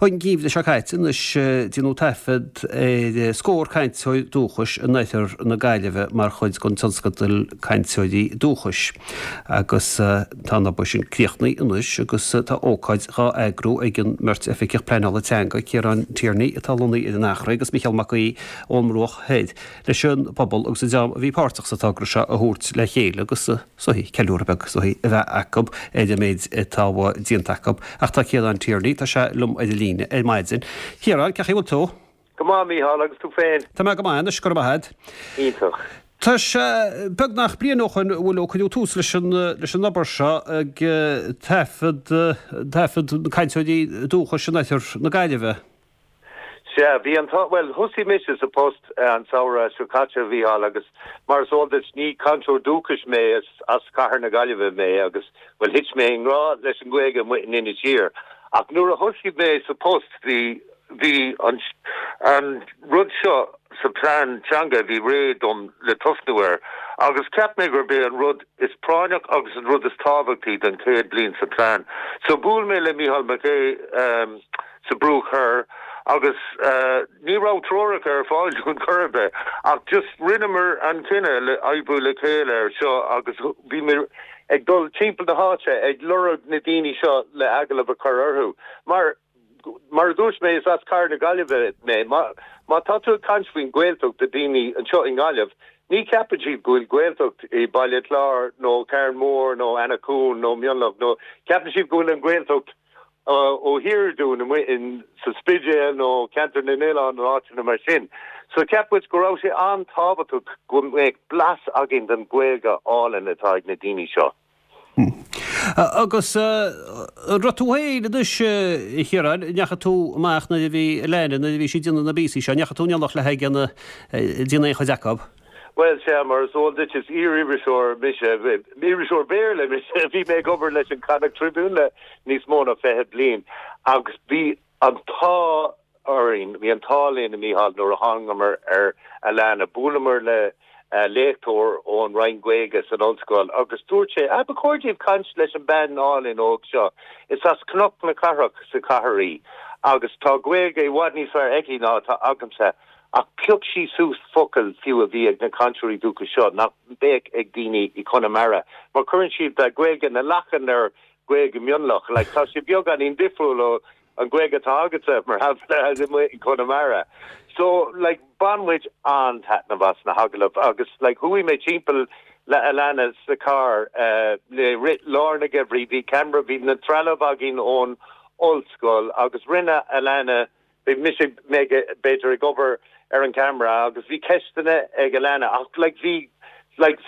An geimhreadh seo caite anois déanadh taifead ar scór cainteoir dúchais in oirthear na Gaillimhe mar chuid den tionscadal Cainteoirí Dúchais agus tá an obair sin críochnaithe anois agus tá ócáid dhá eagrú ag an mbeirt oifigeach pleanála teanga, Ciarán Tierney atá lonnaithe ar an Eachréidh agus Micheál Mac Aoidh ón mBruach Thoir leis an bpobal agus an dream a bhí páirteach sa togra seo a thabhairt le chéile agus is dóichí, ceiliúradh beag is dóichí a bheith acu ar an méid atá déanta acu. Ach tá Ciarán Tierney, tá sé liom ar an líne ar maidin. Ciarán, cén chaoi a bhfuil tú? Go maith, Mícheál, agus tú féin? Tá mé go maith anois, go raibh maith agat. Iontach. Tá sé beagnach bliain ó shoin, bhfuil, ó cuireadh tús leis an, leis an obair seo ag taifead, taifead na cainteoirí dúchais in oirthear na Gaillimhe. Sea, bhí an t-ádh, bhuel, thosaigh mise sa post an samhradh seo caite, a Mhícheáil, agus mar is eol duit, ní cainteoir dúchais mé, is as cathair na Gaillimhe mé agus, bhuel, thit mé i ngrá leis an nGaeilge amuigh in Inis Oírr. Ach nuair a thosaigh mé sa post, bhí, bhí an, an rud seo sa plean teanga a bhí réidh dom le tosnú air agus cheap mé gurb é an rud is práinneach agus an rud is tábhachtaí don chéad bliain sa plean. So bhuail mé le Mícheál Mac Aoidh, sa Bruach Thoir agus ní raibh treoracha ar fáil dúinn chor ar bith ach just rinneamar an cinneadh le oibriú le chéile ar seo agus bhí mé ag dul timpeall na háite ag lorg na daoine seo le agallamh a chur orthu mar mar a dúirt mé is as cathair na Gaillimhe mé. Má má tá tú ag caint faoin Ghaeltacht do daoine anseo i nGaillimh ní cheapann siad go bhfuil Gaeltacht i Baile Chláir nó Carn Mór nó Eanach Dhúin nó Mionlach nó ceapann siad go bhfuil an Ghaeltacht ó thiar dúinn amuigh in sa Spidéal nó Ceantar na nOileán nó áiteanna mar sin. So cheap muid go raibh sé an-tábhachtach go mbeadh blas againn den Ghaeilge álainn atá ag na daoine seo. Agus an raibh tú féin anois, a Chiaráin, an ndeachaigh tú amach nuair a bhí Alana, nuair a bhí sí ag déanamh na bpíosaí seo, an ndeachaigh tú in éineacht léi ag déanamh aon chuid acu? Bhuel, sea, mar is eol duit, is iar-iriseoir mise, iriseoir Béarla mise, bhí mé ag obair leis an Connacht Tribune le níos mó ná 20 bliain agus bhí an t-ádh orainn, bhí an t-ádh linn, a Mhícheáil, nuair a thángamar ar Alana. Bhuaileamar le léachtóir ón Roinn Gaeilge san ollscoil agus dúirt sé, ah, ba chóir daoibh caint leis an bean álainn óg seo, is as Cnoc na Cathrach sa chathair í agus tá Gaeilge i bhfad níos fearr aici ná atá agamsa. Ach phioc sí suas focail fiú a bhí ag na cainteoirí dúchais seo nach mbeadh ag daoine i Conamara, mar cuireann siad Gaeilge na lachan ar Gaeilge Mionlach. Like, tá sé beagáinín difriúil ó an Ghaeilge atá agatsa, mar shampla, amuigh i Conamara. So, like, bhain muid an-taitneamh as na hagallaimh agus, like, chuaigh mé timpeall le Alana sa carr le rith lár na geimhridh, bhí ceamara, bhí na trealamh againn ón ollscoil agus rinne Alana Bhí mise b'fhéidir ag obair ar an gceamara agus bhí ceisteanna ag Alana ach like bhí like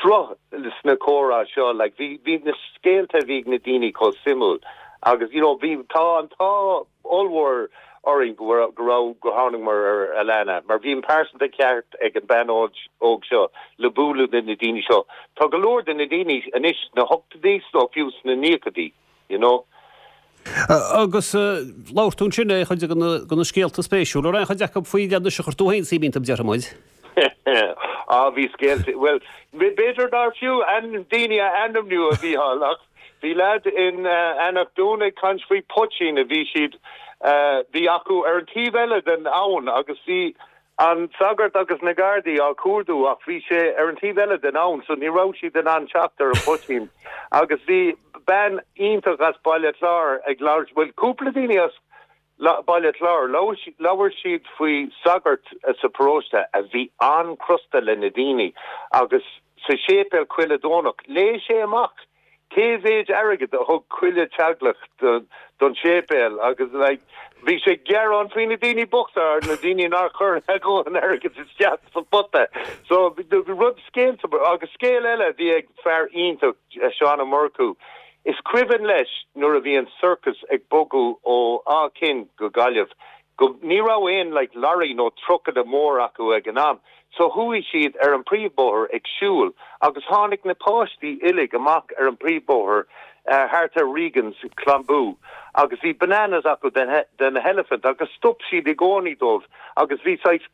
sruth sna comhrá seo like bhí bhí na scéalta a bhí ag na daoine chomh suimiúil agus you know bhí tá an t-ádh ollmhór orainn go raibh go raibh go thángamar ar Alana mar bhí an pearsanta ceart ag an bean óg seo le bualadh le na daoine seo. Tá go leor de na daoine anois sna hochtóidí nó fiú sna naochadaí. you know. Agus labhair tú ansin ar chuid de na scéalta spéisiúla, an raibh aon chuid acu faoi leith anois a chuir tú féin suim iontu, déarfaidh muid? Á, bhí scéalta, bhuel, b'fhéidir nár fiú daoine a ainmniú, a Mhícheáil, ach bhí leaid in Eanach Dúin ag caint faoi poitín a bhí siad, bhí acu ar an taobh eile den abhainn agus bhí An sagart agus na Gardaí á cuardú ach bhí sé ar an taobh eile den abhainn so ní raibh siad in ann teacht ar an phoitín. Agus bhí bean iontach as Baile Chláir ag labhairt, bhuel cúpla daoine as Baile Chláir, labhair siad faoi sagart sa paróiste a bhí an-chrosta le na daoine agus sa séipéal chuile Domhnach léigh sé amach Cé mhéid airgead a thug chuile teaghlach don séipéal agus like bhí sé ag gearán faoi na daoine bochta ar na daoine nár chuir a dhóthain airgead isteach sa phota. So rud scéalta agus scéal eile a bhí ag fear iontach Seán Ó Murchú is cuimhin leis nuair a bhí an circus ag bogadh ó Áth Cinn go Gaillimh go ní raibh aon like lorry nó trucanna mór acu ag an am so chuaigh siad ar an príomhbóthar ag siúl agus tháinig na páistí uilig amach ar an príomhbóthar thart ar Regan's Clonboo agus bhí bananas acu den elephant agus stop siad i gcónaí dóibh agus bhí saghas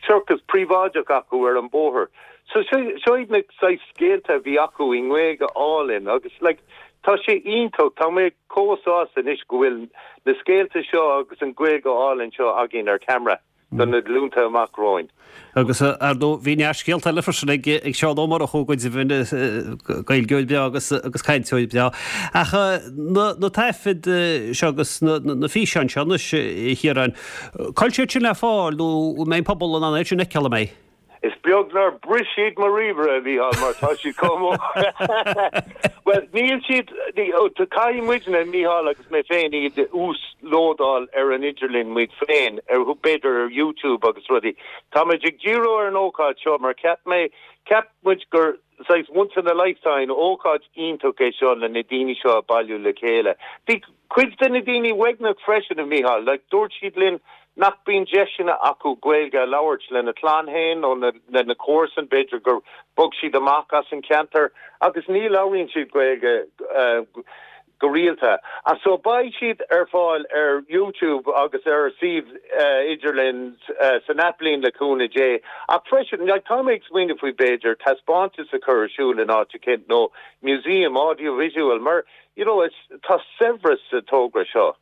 circus príobháideach acu ar an bóthar. So seo iad na saghas scéalta a bhí acu i nGaeilge álainn agus like. tá sé iontach, tá mé chomh sásta anois go bhfuil na scéalta seo agus an Ghaeilge álainn seo againn ar ceamara do na glúnta amach romhainn. Agus, ar ndóigh, bhí neart scéalta eile freisin ag Seán Ó Murchú, go deimhin, Gaeilgeoir breá agus agus cainteoir breá. Ach na na taifid seo agus na na físeáin seo anois, a Chiaráin, cá bhfuil siad sin le fáil nó an mbeidh an pobal in ann iad sin a fheiceáil, an mbeidh? Is beag nár bhris siad mo ríomhaire, a Mhícheáil, mar tá siad chomh mór. Bhuel, níl siad, caithfidh muidne, Mícheál agus mé féin, iad a uaslódáil ar an idirlíon muid féin, ar, b'fhéidir ar YouTube agus rudaí. Táimid ag díriú ar an ócáid seo mar cheap mé, cheap muid gur saghas once in a lifetime ócáid iontach é seo le na daoine seo a bailiú le chéile. Bhí cuid de na daoine uaigneach freisin, a Mhícheáil, like dúirt siad linn nach mbíonn deiseanna acu Gaeilge a labhairt lena clann féin nó lena comharsain, b'fhéidir gur bhog siad amach as an cheantar agus ní labhraíonn siad Gaeilge go rialta. So beidh siad ar fáil ar YouTube agus ar suíomh idirlín san athbhliain le cúnamh Dé. Ach freisin, like tá mé ag smaoineamh faoi b'fhéidir taispeántas a chur ar siúl in áit eicínt nó museum audio-visual mar you know it's tá saibhreas sa togra seo.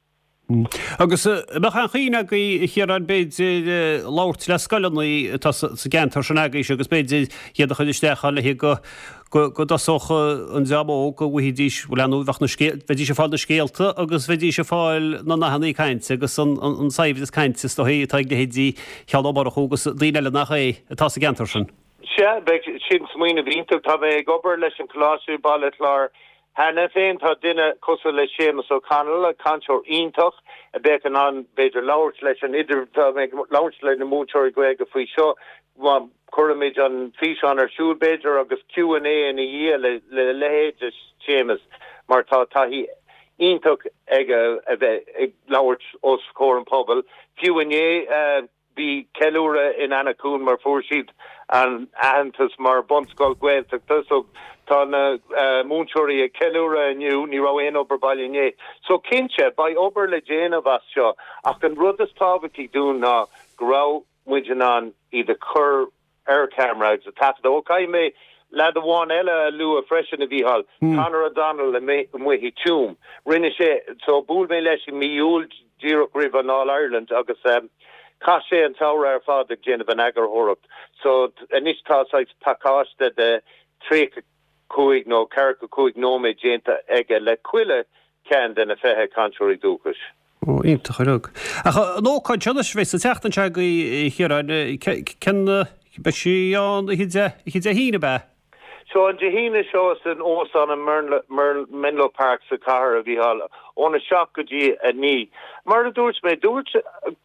Agus an mbeadh aon chuimhne agaibh, a Chiaráin, b'fhéidir, labhairt le scoileanna atá sa gceantar sin agaibhse agus b'fhéidir iad a chur isteach ann le go go dtosódh an dream óg go bhfaighidís, bhuel, ar ndóigh, bheadh na scéal, bheidís ag fáil na scéalta agus bheidís ag fáil na nathanna cainte agus an an saibhreas cainte is dóigh atá ag leithéidí Sheán Ó Murchú agus daoine eile nach é atá sa gceantar sin. Sea, bheadh sin smaoineamh iontach. Tá mé ag obair leis an Choláiste i Baile Chláir Cheana féin tá duine cosúil le Séamus O'Connell, cainteoir iontach, a bheadh in ann, b'fhéidir, labhairt leis an idir, tá mé ag labhairt le na múinteoirí Gaeilge faoi seo, má chuirimid an físeán ar siúl, b'fhéidir, agus Q and A ina dhiaidh le le leithéid de Séamus, mar tá taithí iontach aige a bheith ag labhairt os comhair an phobail. Fiú inné, Bhí ceiliúradh in Eanach Dhúin mar fuair siad an aitheantas mar bunscoil Gaeltachta so tá na múinteoirí ag ceiliúradh inniu, ní raibh aon obair baile inné. So cinnte, beidh obair le déanamh as seo ach an rud is tábhachtaí dúinn ná go raibh muid in ann iad a chur ar ceamara agus a taifeadadh. Ó caithfidh mé leaid amháin eile a lua freisin, a Mhícheáil, Conor O'Donnell amuigh i Tuaim. Rinne sé, so bhuail mé leis i mí Iúil díreach roimh an All Ireland agus chaith sé an tsamhradh ar fad ag déanamh an eagarthóireacht. So anois tá saghas pacáiste de 35 nó 45 nóiméad déanta aige le chuile cheann de na 20 cainteoirí dúchais. Ó, iontach ar fad. Ach an ócáid seo anois, a bheidh sa tseachtain seo agaibh, a Chiaráin, cén, beidh sí ann oíche Dé, oíche Dé hAoine, ab ea? So an Dé hAoine seo san Óstán in Menlo Park sa chathair, a Mhícheáil, óna 7 go dtí 9. Mar a dúirt mé, dúirt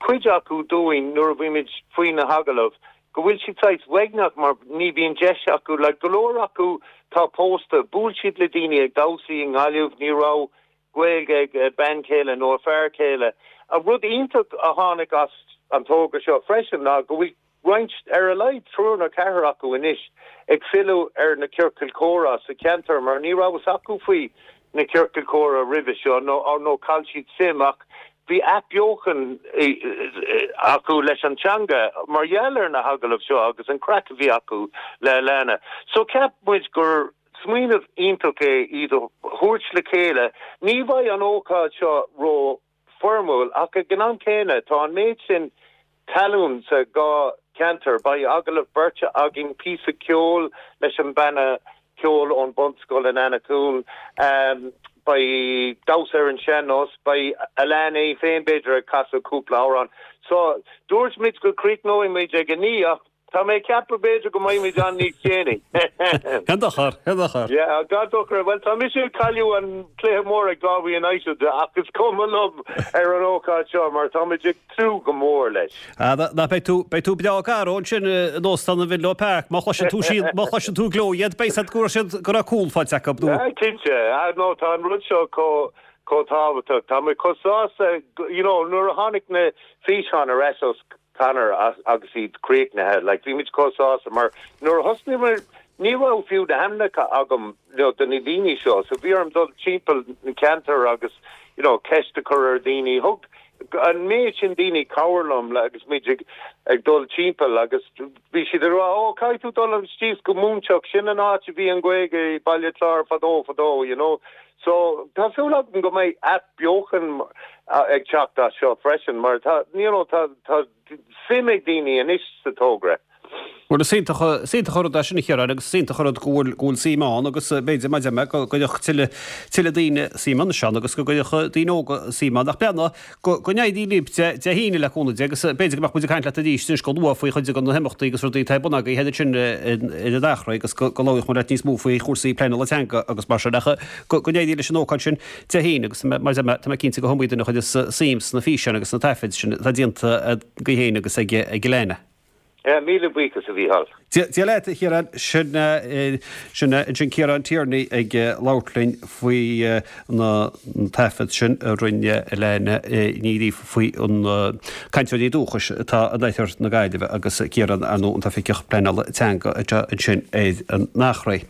cuid acu dúinn nuair a bhí muid faoi na hagallaimh go bhfuil siad saghas uaigneach mar ní bhíonn deis acu, like go leor acu tá pósta, bhuail siad le daoine ag damhsaí i nGaillimh, ní raibh Gaeilge ag a bean chéile nó a fear céile. An rud iontach a tháinig as an togra seo freisin ná go bhfuil roinnt, ar a laghad triúr nó ceathrar acu anois, ag filleadh ar na ciorcail chomhrá sa cheantar mar ní raibh fhios acu faoi na ciorcail chomhrá roimhe seo nó nó chaill siad suim ach bhí athbheochan acu leis an teanga mar gheall ar na hagallaimh seo agus an craic a bhí acu le Alana. So cheap muid gur Smaoineamh iontach é iad a thabhairt le chéile. Ní bheidh an ócáid seo ró foirmiúil ach ag an am céanna tá an méid sin talún sa dhá cheantar. Beidh agallamh beirte againn, píosa ceoil leis an banna ceoil ón bunscoil in Eanach Dhúin, beidh damhsa ar an sean-nós, beidh Alana í féin b'fhéidir ag casadh cúpla amhrán. So dúirt muid go gcríochnóidh muid ag a naoi ach Tá mé ag ceapadh b'fhéidir go mbeidh muid ann níos déanaí. Gan dochar, gan dochar. Yeah, gan dochar. Bhuel, tá mise ag cailleadh an cluiche mór ag Galway United ach is cuma liom ar an ócáid seo mar tá muid ag tnúth go mór leis. Ah, ná beidh tú, beidh tú breá garbh ansin in Óstán an Mhenlo Park. Má chloiseann tú siad, má chloiseann tú gleo iad, beidh siad go raibh siad, go raibh cúl faighte acu nó. Ah, cinnte. Ah, no, tá an rud seo chomh, chomh tábhachtach. Tá mé chomh sásta, you know, nuair a tháinig na físeáin ar ais ó Conor agus iad críochnaithe. Like, bhí muid chomh sásta mar nuair a thosnaigh muid ní raibh fiú na hainmneacha agam you know, do na daoine seo so bhí orm dul timpeall na ceantar agus you know, ceist a chur ar dhaoine. Thug. an méid sin daoine cabhair liom agus muid ag ag dul timpeall agus bhí siad ag rá 'Ó, caithfidh tú dul síos go Móinteach, sin an áit a bhí an Ghaeilge i Baile Chláir fadó fadó, you know. So, tá súil agam go mbeidh athbheochan ag teacht as seo freisin mar tá, you know, tá, tá suim ag daoine anois sa togra. Bhuel, is iontach, is iontach an rud é sin a Chiaráin agus is iontach an rud go bhfuil, go bhfuil suim ann agus b'fhéidir, mar a deir mé, go gcuirfeadh tuilleadh, tuilleadh daoine suim anois ann agus go gcuirfeadh daoine óga suim ann. Ach breathnaigh, go, go n-éirí libh Dé, Dé hAoine le cúnamh Dé agus b'fhéidir go mbeadh muid ag caint leat arís anois go luath faoi chuid de na himeachtaí agus rudaí atá ar bun agaibh ansin ar an Eachréidh agus go, go labhróidh muid leat níos mó faoi chúrsaí pleanála teanga agus mar sin. Ach go, go n-éirí leis an ócáid sin Dé hAoine agus mar a deir mé, tá mé cinnte go hiomaí duine a chuirfeas suim sna físeáin agus sna taifid sin atá déanta agaibh féin agus ag, ag Elaine. Míle buíochas, a Mhícheáil. Dia leat, a Chiaráin. Sin sin ansin Ciarán Tierney ag labhairt linn faoi na taifead sin a rinne Elaine Ní Ghríofa faoi na cainteoirí dúchais atá in oirthear na Gaillimhe agus Ciarán, ar ndóigh, an tOifigeach Pleanála Teanga atá ansin ar an Eachréidh.